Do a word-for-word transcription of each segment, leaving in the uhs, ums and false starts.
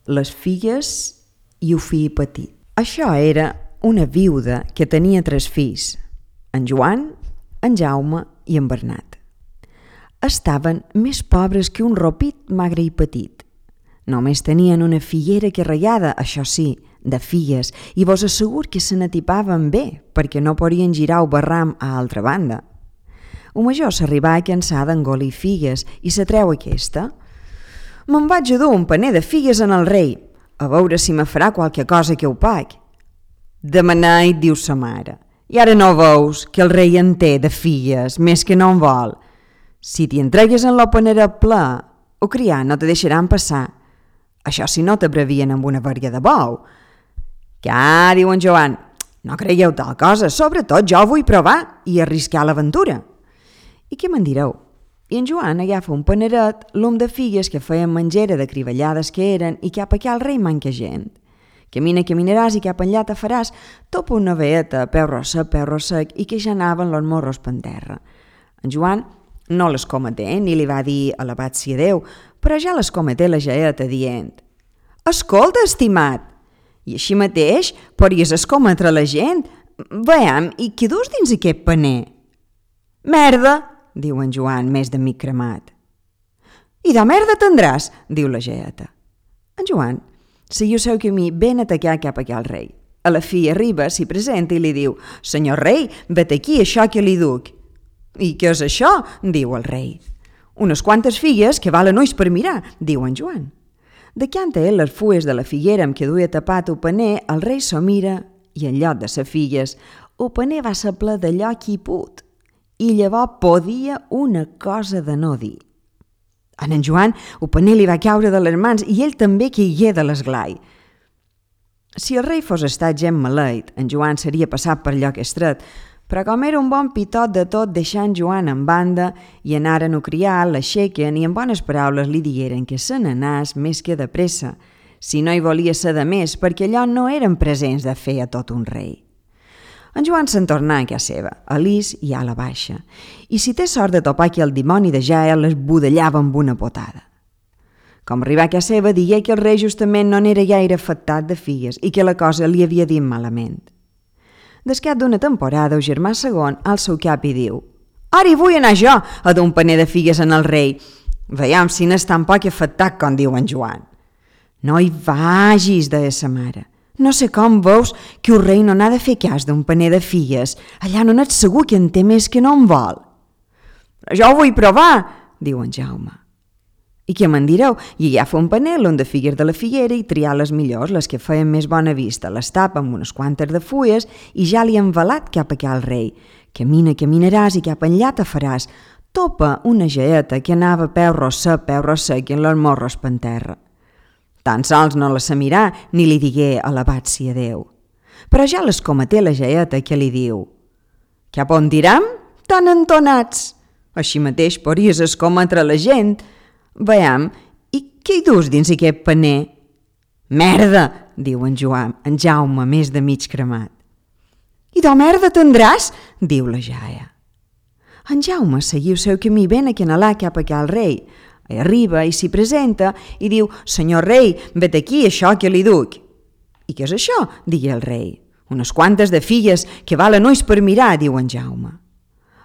les filles i el fill petit. Això era una viuda que tenia tres fills, en Joan, en Jaume i en Bernat. Estaven més pobres que un ropit magre i petit. Només tenien una figuera que regada, això sí, de filles, i vos assegur que se n'atipaven bé, perquè no podien girar el barram a altra banda. Un major s'arribà a cansar d'engolir figues i se treu aquesta. «Me'n vaig a dur un paner de figues en el rei, a veure si me farà qualque cosa que ho pagui». «Demanai», diu sa mare, «i ara no veus que el rei en té de figues, més que no en vol. Si t'hi entregues en la panera ple, o criar no te deixaran passar. Això si no t'abrevien amb una verga de bou». «Què?» diu en Joan, «no creieu tal cosa, sobretot jo vull provar i arriscar l'aventura». «I què me'n direu?» I en Joan agafa un paneret, l'um de figues que feien menjera de crivellades que eren i cap aquí al rei manca gent. Camina, caminaràs i cap enllà te faràs, topa una veeta, peu rossa, peu rossec, i que ja anaven los morros per terra. En Joan no les cometé, ni li va dir alabat sia Déu, però ja les cometé la jaeta dient: «Escolta, estimat, i així mateix podries escometre la gent? Veiem, i què dus dins aquest paner?» «Merda», diu en Joan, més de mig cremat. «I de merda tindràs», diu la jaeta. En Joan seguiu seu camí ben atacat cap aquí al rei. A la fi arriba, s'hi presenta i li diu: «Senyor rei, vet aquí això que li duc». «I què és això?», diu el rei. «Unes quantes figues que valen ulls per mirar», diu en Joan. Decanta ell les fulles de la figuera amb què duia tapat el paner, el rei s'ho mira i en lloc de ses filles, el paner va ser ple d'allò qui put. I llavors podia una cosa de no dir. En en Joan el paner li va caure de les mans i ell també caigué de l'esglai. Si el rei fos estat gent maleït, en Joan seria passat per lloc estret, però com era un bon pitot de tot, deixant Joan en banda i anaren a criar, l'aixequen i en bones paraules li digueren que se n'anàs més que de pressa, si no hi volia ser de més, perquè allò no eren presents de fer a tot un rei. En Joan se'n tornà a casa seva, a l'Is i a la baixa, i si té sort de topar que el dimoni de Jael les budellava amb una potada. Com arribà a casa seva, digué que el rei justament no n'era gaire afectat de figues i que la cosa li havia dit malament. Descat d'una temporada, el germà segon alça el cap i diu: «Ara hi vull anar jo a dur un paner de figues en el rei. Veiem si n'és tan poc afectat com diu en Joan». «No hi vagis», deia sa mare. «No sé com veus que el rei no n'ha de fer cas d'un paner de figues. Allà no n'ets segur que en té més que no en vol». «Jo ho vull provar», diu en Jaume. «I què me'n direu?» I agafa un panel on de figues de la figuera i triar les millors, les que feien més bona vista, les tapa amb unes quantes de fulles i ja li ha envelat cap aquí al rei. Camina, caminaràs i cap enllà te faràs. Topa una jaeta que anava peu rossa, peu rossa i en los morros per terra. Tan sols no la sa mirar ni li digué alabat sia Déu. Però ja les cometé la jaeta que li diu: «Cap on direm? Tan entonats! Així mateix podries escometre la gent. Veiem, i què hi dus dins aquest paner?» «Merda», diu en Joan, en Jaume més de mig cremat. «I de merda tindràs?» diu la jaia. En Jaume seguiu seu camí ben a canalà cap a cal rei. Arriba i s'hi presenta i diu: «Senyor rei, vet aquí això que li duc». «I què és això?», digui el rei. «Unes quantes de filles que valen ulls per mirar», diu en Jaume.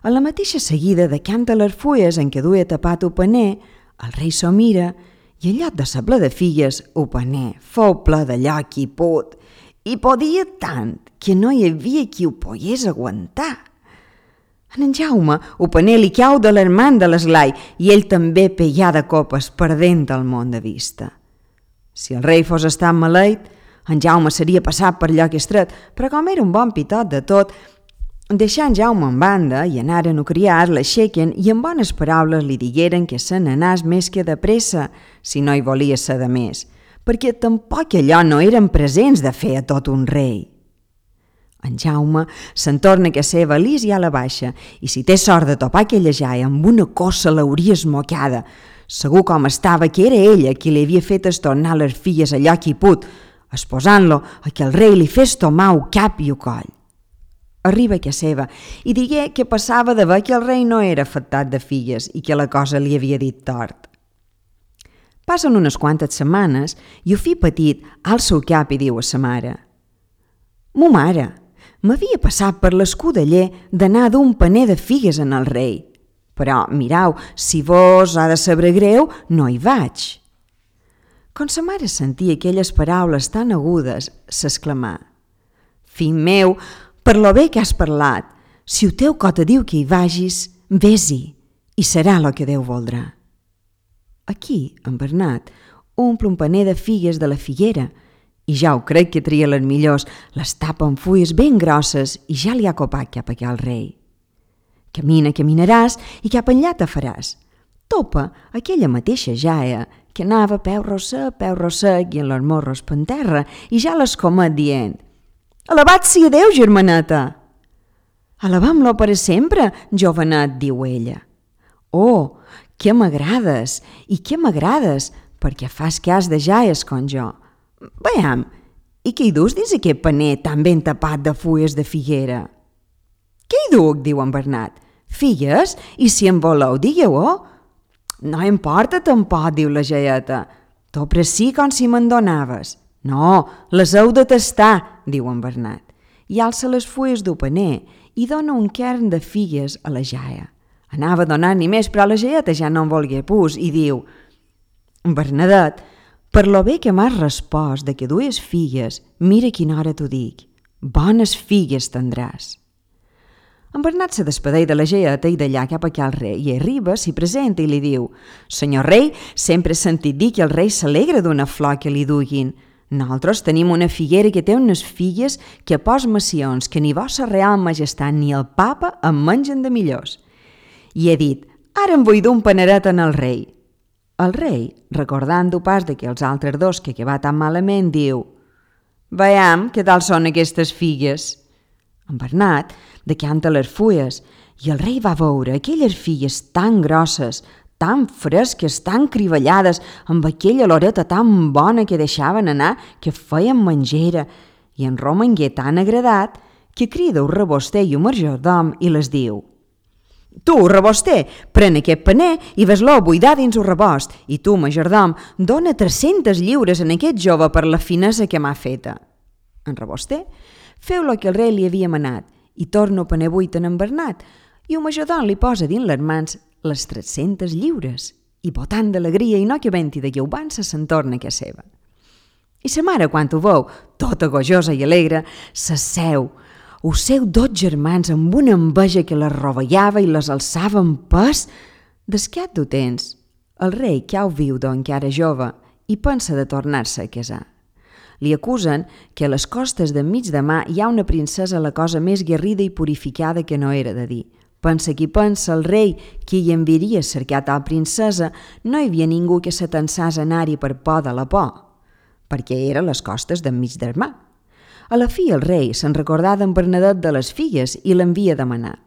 A la mateixa seguida decanta les fulles en què duia tapat el paner, el rei s'ho mira i en lloc de ser ple de filles, el paner fou ple d'allò qui put, i podia tant que no hi havia qui ho pogués aguantar. En en Jaume el paner li cau de les mans de l'esglai i ell també peia de copes perdent el món de vista. Si el rei fos estat maleït, en Jaume seria passat per lloc estret, però com era un bon pitot de tot, deixant Jaume en banda i anaren a criar, l'aixequen i en bones paraules li digueren que se n'anàs més que de pressa, si no hi volia ser de més, perquè tampoc allò no eren presents de fer a tot un rei. En Jaume se'n torna a casa seva a l'Is i a la baixa, i si té sort de topar aquella jaia amb una cossa l'hauria esmocada. Segur com estava que era ella qui li havia fet estornar les filles allò qui put, esposant-lo a que el rei li fes tomar el cap i el coll. Arriba a casa seva i digué que passava de veure que el rei no era afectat de filles i que la cosa li havia dit tort. Passen unes quantes setmanes i el fill petit alça el cap i diu a sa mare: «Mo mare, m'havia passat per l'escudeller d'anar d'un paner de figues en el rei, però mirau, si vos ha de saber greu, no hi vaig». Quan sa mare sentia aquelles paraules tan agudes, s'exclamà: «Fill meu, per lo bé que has parlat, si el teu cor te diu que hi vagis, vés-hi, i serà lo que Déu voldrà». Aquí, en Bernat, omple un paner de figues de la figuera i ja ho crec que tria les millors, les tapa amb fulles ben grosses i ja li ha copat cap aquí al rei. Camina, caminaràs i cap enllà te faràs. Topa aquella mateixa jaia que anava peu rossec, peu rossec i en los morros penterra i ja l'escomet dient: «Alabat sia Déu, germaneta!» «Alabam-lo per sempre, jovenet», diu ella. «Oh, que m'agrades, i que m'agrades, perquè fas cas de jaies com jo. Veiem, i què hi dus dins aquest paner tan ben tapat de fulles de figuera?» «Què hi duc?», diu en Bernat. «Figues? I si en voleu, digueu-ho». «No importa tampoc», diu la jaieta. «T'ho preci com si me'n donaves». «No, les heu de tastar», diu en Bernat. I alça les fulles del paner i dona un kern de figues a la jaia. Anava donant-n'hi més, però la jaieta ja no en volgué pus i diu: «Bernadet, per lo bé que m'has respost de que dues figues, mira quina hora t'ho dic, bones figues tindràs». En Bernat se despedeix de la jaieta i d'allà cap aquí al rei i arriba, s'hi presenta i li diu: «Senyor rei, sempre he sentit dir que el rei s'alegra d'una flor que li duguin. Nosaltres tenim una figuera que té unes figues que a pos macions que ni vossa real majestat ni el papa en mengen de millors». I he dit: «Ara em vull d'un paneret en el rei». El rei, recordant-ho pas de que els altres dos que va tan malament, diu: «Veiem què tal són aquestes figues». En Bernat decanta les fulles i el rei va veure aquelles figues tan grosses, tan fresques, tan crivellades, amb aquella oloreta tan bona que deixaven anar que feien mengera, i en romangué tan agradat que crida el reboster i el majordom i les diu: «Tu, reboster, pren aquest paner i ves-lo buidar dins el rebost, i tu, majordom, dona tres-centes lliures en aquest jove per la finesa que m'ha feta». En reboster feu lo que el rei li havia manat i torna el paner buit en en Bernat, i el majordom li posa dins les mans les tres-centes lliures i, botant d'alegria i no que venti de lleubança, se'n torna a casa seva. I sa mare, quan ho veu, tota gojosa i alegre, s'asseu. Us seu dos germans amb una enveja que les rovellava i les alçava en pes. D'esquat d'ho temps, el rei que ho viu d'encara jove i pensa de tornar-se a casar. Li acusen que a les costes d'enmig de mar hi ha una princesa la cosa més guerrida i purificada que no era de dir. Pensa qui pensa el rei que hi enviaria a cercar tal princesa, no hi havia ningú que s'atensàs a anar-hi per por de la por, perquè era a les costes d'enmig del mar. A la fi el rei se'n recordà d'en Bernadet de les figues i l'envia a demanar.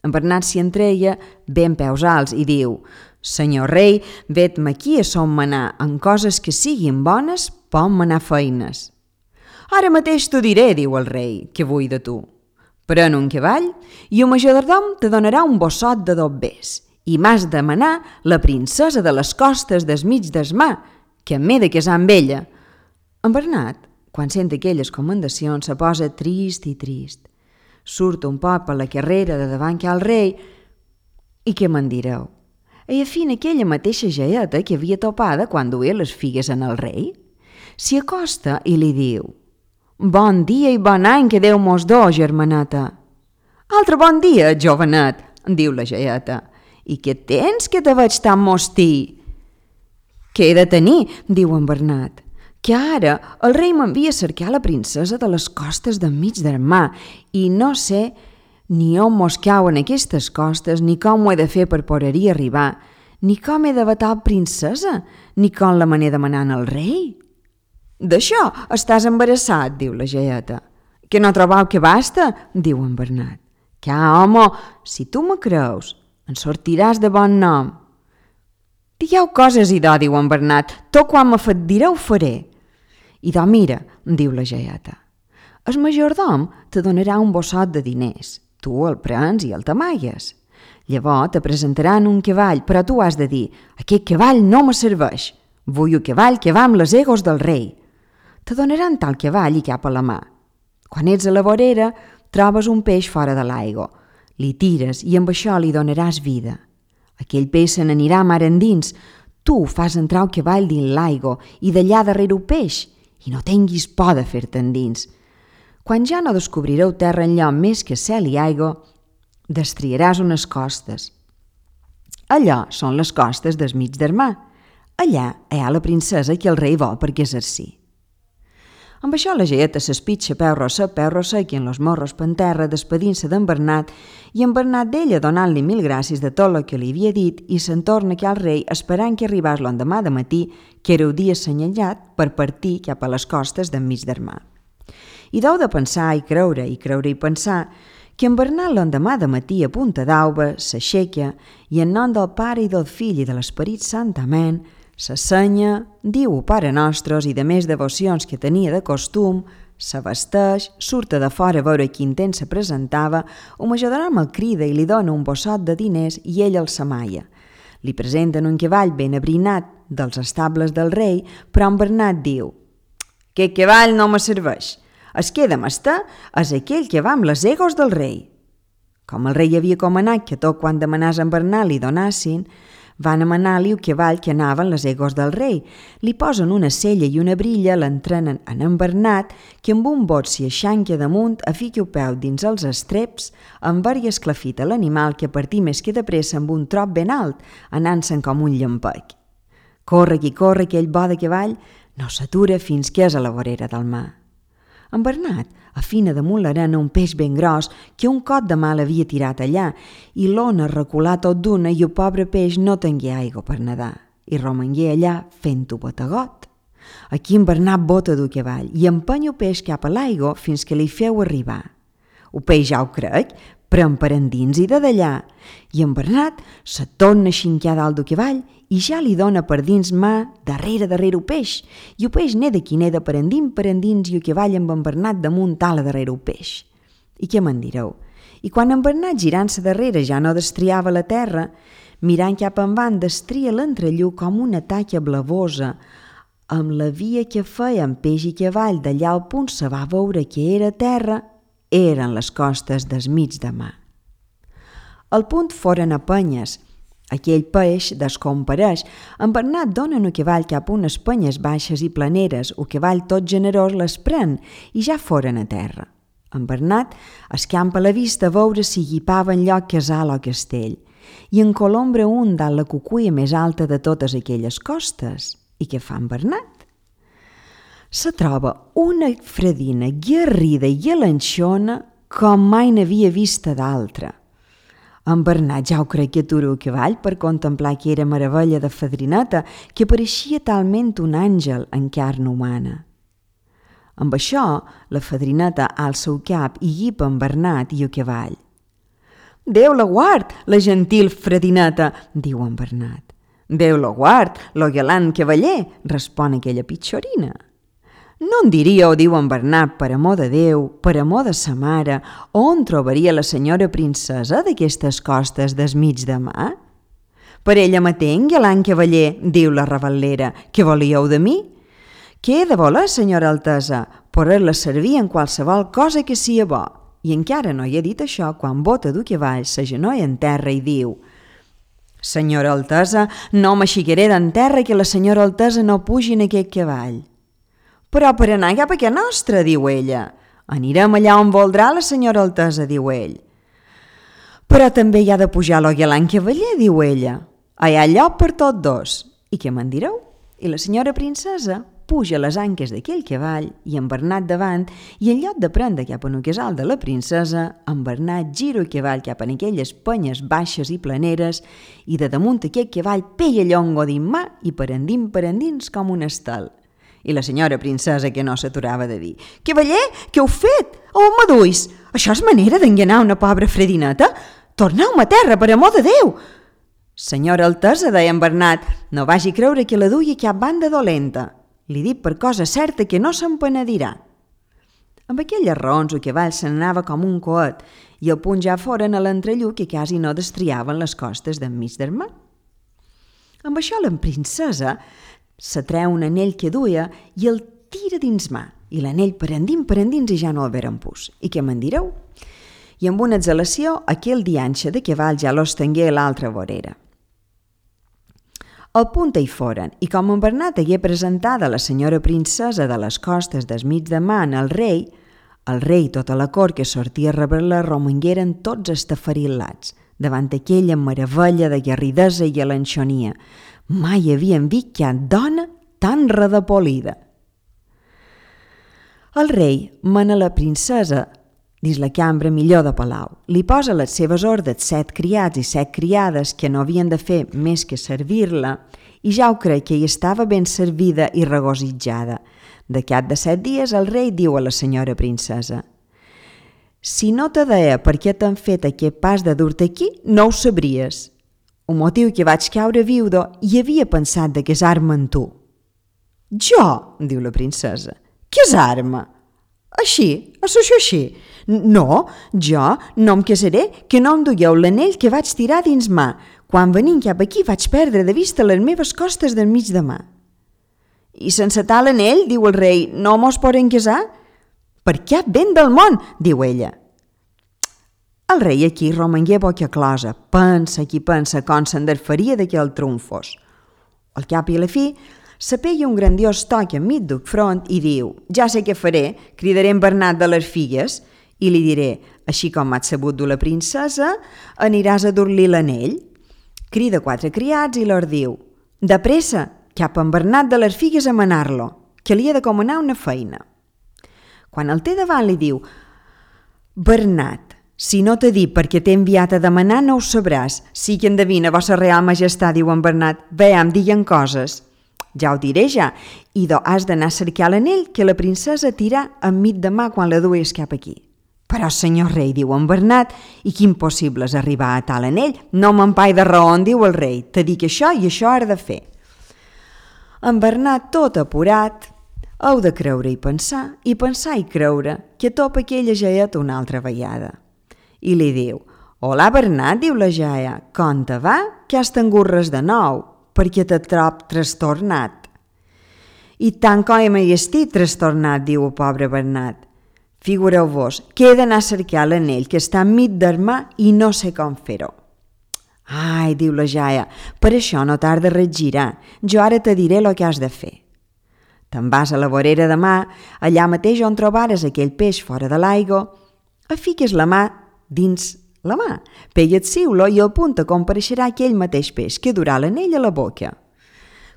En Bernat s'hi entreia ben peus alts i diu: «Senyor rei, vet-me aquí a son manar, en coses que siguin bones, pot manar feines». «Ara mateix t'ho diré», diu el rei, «que vull de tu. Pren un cavall i el majordom te donarà un bossot de dobbers i m'has de manar la princesa de les costes del mig del mar, que m'he de casar amb ella». En Bernat, quan sent aquelles comendacions, se posa trist i trist. Surt un poc per la carrera de davant que al rei i què me'n direu? I afina aquella mateixa jaieta que havia topada quan duia les figues en el rei. S'hi acosta i li diu: «Bon dia i bon any que Déu mos do, germaneta». «Altre bon dia, jovenet», diu la jaieta. «I què tens que te veig tan mostí?» «Què he de tenir?», diu en Bernat. «Que ara el rei m'envia a cercar la princesa de les costes d'enmig del mar i no sé ni on mos cauen aquestes costes, ni com ho he de fer per poder-hi arribar, ni com he de vetar princesa, ni com la me n'he de manar al rei». «D'això estàs embarassat», diu la jaieta. «Que no trobau que basta?», diu en Bernat. «Que, home, si tu me creus, en sortiràs de bon nom». «Digueu coses i do», diu en Bernat, «tot quan me fet diré ho faré». «I do, mira», diu la jaieta, «el majordom te donarà un bossot de diners, tu el prens i el t'amagues. Llavors te presentaran un cavall, però tu has de dir: aquest cavall no me serveix, Vull un cavall que va amb les egos del rei. Te donaran tal cavall i cap a la mà. Quan ets a la vorera, trobes un peix fora de l'aigua. Li tires i amb això li donaràs vida. Aquell peix se n'anirà mar endins. Tu fas entrar el cavall dins l'aigua i d'allà darrere un peix i no tinguis por de fer-te endins. Quan ja no descobrireu terra enlloc més que cel i aigua, destriaràs unes costes. Allò són les costes del mig del mar. Allà hi ha la princesa que el rei vol perquè exercí. Amb això la geieta s'espitxa peu rossa, peu rossa, i en los morros per terra despedint-se d'en Bernat i en Bernat d'ella donant-li mil gràcies de tot el que li havia dit i se'n torna que al rei esperant que arribés l'endemà de matí, que era el dia assenyalat per partir cap a les costes d'enmig del mar. I deu de pensar i creure i creure i pensar que en Bernat l'endemà de matí a punta d'auba s'aixeca i en nom del Pare i del Fill i de l'Esperit Sant Amén s'assenya, diu o Pare Nostres i de més devocions que tenia de costum, s'abasteix, surt de fora a veure quin temps se presentava, o majordom el crida i li dona un bossot de diners i ell el s'amaia. Li presenten un cavall ben abrinat dels estables del rei, però en Bernat diu: «Aquest cavall no me serveix. Es queda mester és aquell que va amb les egos del rei». Com el rei havia comanat que tot quan demanàs en Bernat li donassin, van amanar-li el cavall que anava en les egos del rei. Li posen una sella i una brilla, l'entrenen en en Bernat, que amb un bot s'hi aixanca damunt, afica el peu dins els estreps, enver i esclafita l'animal que partí més que de pressa amb un trop ben alt, anant-se'n com un llampec. Corre qui corre aquell bo de cavall, no s'atura fins que és a la vorera del mar. En Bernat afina damunt l'arena un peix ben gros que un cot de mal havia tirat allà i l'ona reculà tot d'una i el pobre peix no tingué aigua per nedar i romangué allà fent-ho bategot. Aquí en Bernat bota del cavall i empeny el peix cap a l'aigua fins que li feu arribar. El peix ja ho crec, pren per endins i de d'allà i en Bernat se torna a xincar dalt del cavall i ja li dona per dins mà darrere darrere el peix i el peix neda qui neda per endins per endins i el cavall amb en Bernat damunt ala darrere el peix. I què me'n direu? I quan en Bernat girant-se darrere ja no destriava la terra, mirant cap envant destria l'entrelluc com una taca blavosa amb la via que feia en peix i cavall d'allà al punt se va veure que era terra, eren les costes del mig de mar. Al punt foren a penyes. Aquell peix descompareix. En Bernat dona el cavall cap a unes penyes baixes i planeres. El cavall tot generós les pren i ja foren a terra. En Bernat escampa la vista a veure si guipava en lloc casal o castell i en colombra un dalt la cucuia més alta de totes aquelles costes. I què fa en Bernat? Se troba una fredina guerrida i alenxona com mai n'havia vista d'altra. En Bernat ja ho crec que atura el cavall per contemplar que era meravella de fadrineta que pareixia talment un àngel en carn humana. Amb això, la fadrineta alça el cap i guipa en Bernat i el cavall. «Déu la guard, la gentil fredineta», diu en Bernat. «Déu la guard, lo galant cavaller», respon aquella pitxorina. «No en diríeu», diu en Bernat, per amor de Déu, per amor de sa mare, on trobaria la senyora princesa d'aquestes costes del mig de mar? Per ella matenc, galant cavaller, diu la rebel·lera, què volíeu de mi? Què he de voler, senyora altesa? Poder-la servir en qualsevol cosa que sia bo. I encara no hi ha dit això quan bota du cavall s'agenolla en terra i diu: «Senyora altesa, no m'aixecaré d'en terra que la senyora altesa no pugi en aquest cavall». «Però per anar cap a què nostra», diu ella. «Anirem allà on voldrà la senyora altesa», diu ell. «Però també hi ha de pujar lo galant cavaller», diu ella. «Hi ha lloc per tots dos». «I què me'n direu?» I la senyora princesa puja les anques d'aquell cavall i en Bernat davant i en lloc de prendre cap a un casal de la princesa, en Bernat gira el cavall cap a aquelles penyes baixes i planeres i de damunt aquest cavall peia llongo dins mà i per endins per endins com un estel. I la senyora princesa que no s'aturava de dir: «Cavaller, què heu fet? On me duis? Això és manera d'enganar una pobra fredineta? Torneu-me a terra, per amor de Déu!» «Senyora altesa», deia en Bernat, «no vagi creure que la duia cap banda dolenta. Li dic per cosa certa que no se'n penedirà». Amb aquelles raons el cavall se n'anava com un coet i al punt ja foren a l'entrelluc que quasi no destriaven les costes d'enmig del mar. Amb això la princesa Se treu un anell que duia i el tira dins mà, i l'anell per endins, per endins, i ja no el veren pus. I què me'n direu? I amb una exhalació, aquell dianxe de cavall ja l'ostengué a l'altra vorera. Al punt hi foren, i com en Bernat hagué presentada la senyora princesa de les costes des mig de man al rei, el rei i tota la cort que sortia a rebre-la romangueren tots estafarilats, davant aquella meravella de guerridesa i alenxonia. Mai havien vist cap dona tan redepolida. El rei mana la princesa dins la cambra millor de palau. Li posa a les seves ordes set criats i set criades que no havien de fer més que servir-la, i ja ho crec que hi estava ben servida i regositjada. De cap de set dies el rei diu a la senyora princesa: «Si no te deia per què t'han fet aquest pas de dur-te aquí, no ho sabries. Un motiu que vaig caure viudo i havia pensat de casar-me amb tu». «Jo?» diu la princesa. «Casar-me? Així? Això així? No, jo no em casaré, que no em duieu l'anell que vaig tirar dins mà. Quan venint cap aquí vaig perdre de vista les meves costes del mig de mà». «I sense tal anell, diu el rei, no mos podem casar?» «Per cap vent del món», diu ella. El rei aquí romangué boca closa, pensa qui pensa com se'n desfaria d'aquell trumfos. Al cap i a la fi, se pega un grandiós toc enmig del front i diu: «Ja sé què faré, cridaré en Bernat de les Figues i li diré: així com m'has sabut dur la princesa, aniràs a dur-li l'anell». Crida quatre criats i lor diu: «De pressa, cap en Bernat de les Figues a manar-lo, que li he de comanar una feina». Quan el té davant li diu: «Bernat, si no t'he dit perquè t'he enviat a demanar, no ho sabràs. Sí que endevina, vossa real majestat», diu en Bernat. «Veam, diguen coses». «Ja ho diré ja, i do has d'anar a cercar l'anell que la princesa tirà enmig de mà quan la duies cap aquí». «Però, senyor rei», diu en Bernat, «i quin possible és arribar a tal anell? No m'empai de raó», diu el rei. «Te dic això i això has de fer». En Bernat, tot apurat, heu de creure i pensar, i pensar i creure, que topa aquella jaeta una altra vegada. I li diu: «Hola, Bernat», diu la jaia, «com te va? Que has tingut res de nou, perquè te trob trastornat». «I tant com m'hi estic trastornat», diu el pobre Bernat. «Figureu-vos que he d'anar a cercar l'anell que està enmig del mà i no sé com fer-ho». «Ai», diu la jaia, «per això no t'has de regirar, jo ara te diré el que has de fer. Te'n vas a la vorera de mà, allà mateix on trobares aquell peix fora de l'aigua, fiques la mà dins la mà, pega't-siu-lo i al punt compareixerà aquell mateix peix que durà l'anell a la boca».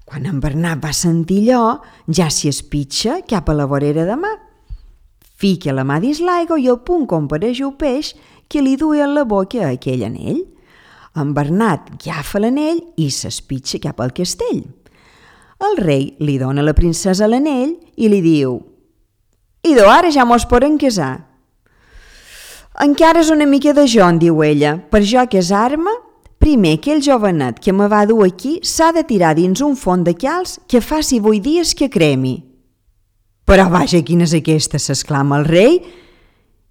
Quan en Bernat va sentir allò, ja s'hi espitxa cap a la vorera de mà. Fica la mà dins l'aigua i al punt compareix el peix que li duia a la boca aquell anell. En Bernat agafa l'anell i s'espitxa cap al castell. El rei li dona a la princesa l'anell i li diu: «Idò, ara ja mos podem casar». «Encara és una mica de jon», diu ella, «per jo casar-me, primer aquell jovenet que me va dur aquí s'ha de tirar dins un font de calç que faci vuit dies que cremi». «Però vaja, quina és aquesta?», s'exclama el rei.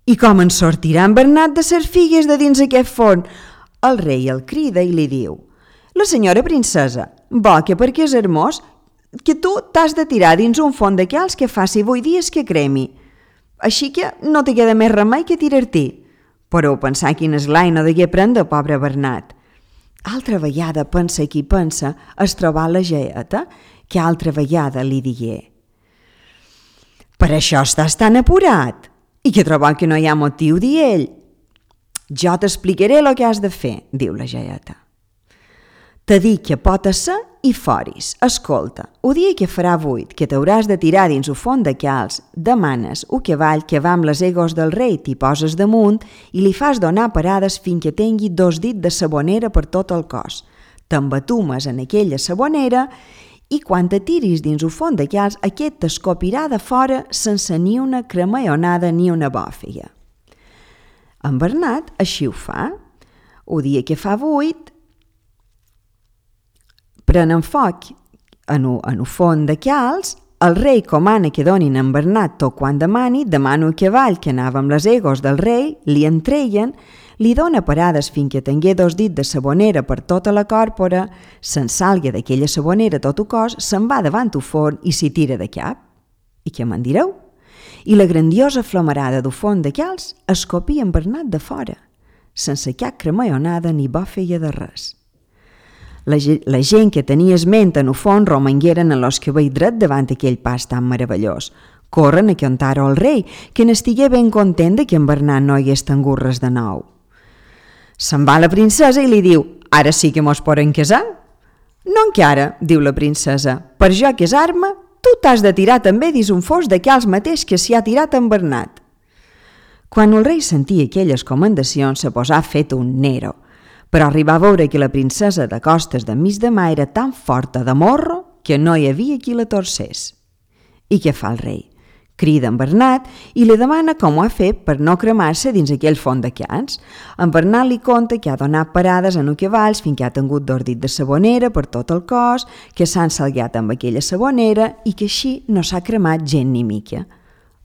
«I com en sortirà en Bernat de ser figues de dins aquest font?» El rei el crida i li diu: «La senyora princesa, vol que perquè és hermós, que tu t'has de tirar dins un font de calç que faci vuit dies que cremi. Així que no te queda més remei que tirar-t'hi». Però pensar quin esglai no degué prendre el pobre Bernat. Altra vegada pensa qui pensa es trobar la jaeta, que altra vegada li digué: «Per això estàs tan apurat, i que trobar que no hi ha motiu, di ell». «Jo t'explicaré el que has de fer», diu la jaeta. «Te dic que pot ser i foris. Escolta, el dia que farà vuit, que t'hauràs de tirar dins un font de calç, demanes un cavall que va amb les egos del rei, t'hi poses damunt i li fas donar parades fins que tingui dos dits de sabonera per tot el cos. T'embatumes en aquella sabonera i quan te tiris dins un font de calç, aquest t'escopirà de fora sense ni una cremallonada ni una bòfiga». En Bernat així ho fa. El dia que fa vuit, prenen foc en un font de calç El rei comana que donin a en Bernat tot quan demani, demana un cavall que anava amb les egos del rei, li entreien, li dona parades fins que tingué dos dits de sabonera per tota la còrpora, se'n salga d'aquella sabonera tot el cos, se'n va davant el forn i s'hi tira de cap. I què me'n direu? I la grandiosa flamarada del forn d'aquells escopia en Bernat de fora, sense cap cremallonada ni bo feia de res. La, la gent que tenia esment en el forn romangueren en los que veia dret davant aquell pas tan meravellós. Corren a contar-ho al rei, que n'estigué ben content de que en Bernat no hagués tingut res de nou. Se'n va la princesa i li diu: «Ara sí que mos podem casar?» «No encara», diu la princesa, «per jo casar-me, tu t'has de tirar també dins un fos d'aquells mateix que s'hi ha tirat en Bernat». Quan el rei sentia aquelles comendacions, se posà fet un nero, però arribà a veure que la princesa de costes de mig de mà era tan forta de morro que no hi havia qui la torcés. I què fa el rei? Crida en Bernat i li demana com ho ha fet per no cremar-se dins aquell font de cans. En Bernat li conta que ha donat parades en un cavalls fins que ha tingut dos dits de sabonera per tot el cos, que s'han salgat amb aquella sabonera i que així no s'ha cremat gent ni mica.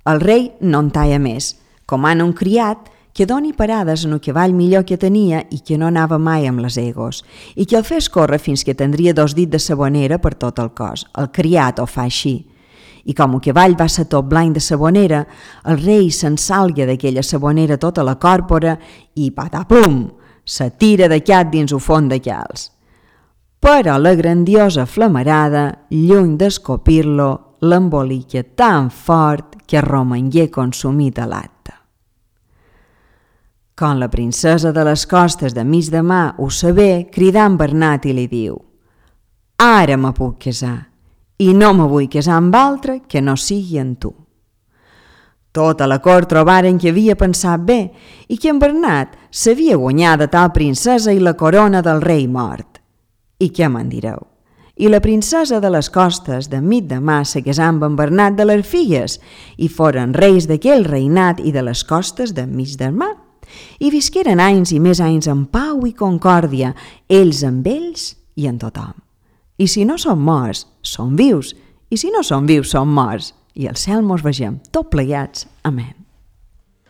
El rei no en talla més, comana un criat que doni parades en el cavall millor que tenia i que no anava mai amb les egos, i que el fes córrer fins que tindria dos dits de sabonera per tot el cos. El criat ho fa així. I com el cavall va ser tot blanc de sabonera, el rei se'n salga d'aquella sabonera tota la còrpora i patapum, se tira de cap dins el font de calç. Però la grandiosa flamarada, lluny d'escopir-lo, l'embolica tan fort que romangué consumit a l'acte. Quan la princesa de les costes de mig de mà ho sabé, cridà en Bernat i li diu: «Ara me puc casar, i no me vull casar amb altre que no sigui en tu». Tota la cort trobaren que havia pensat bé i que en Bernat s'havia guanyat de tal princesa i la corona del rei mort. I què me'n direu? I la princesa de les costes de mig de mà se casà amb en Bernat de les Filles i foren reis d'aquell reinat i de les costes de mig de mà. I visqueren anys i més anys en pau i concòrdia, ells amb ells i en tothom. I si no som morts, som vius, i si no som vius, som morts, i al cel mos vegem tot plegats. Amén.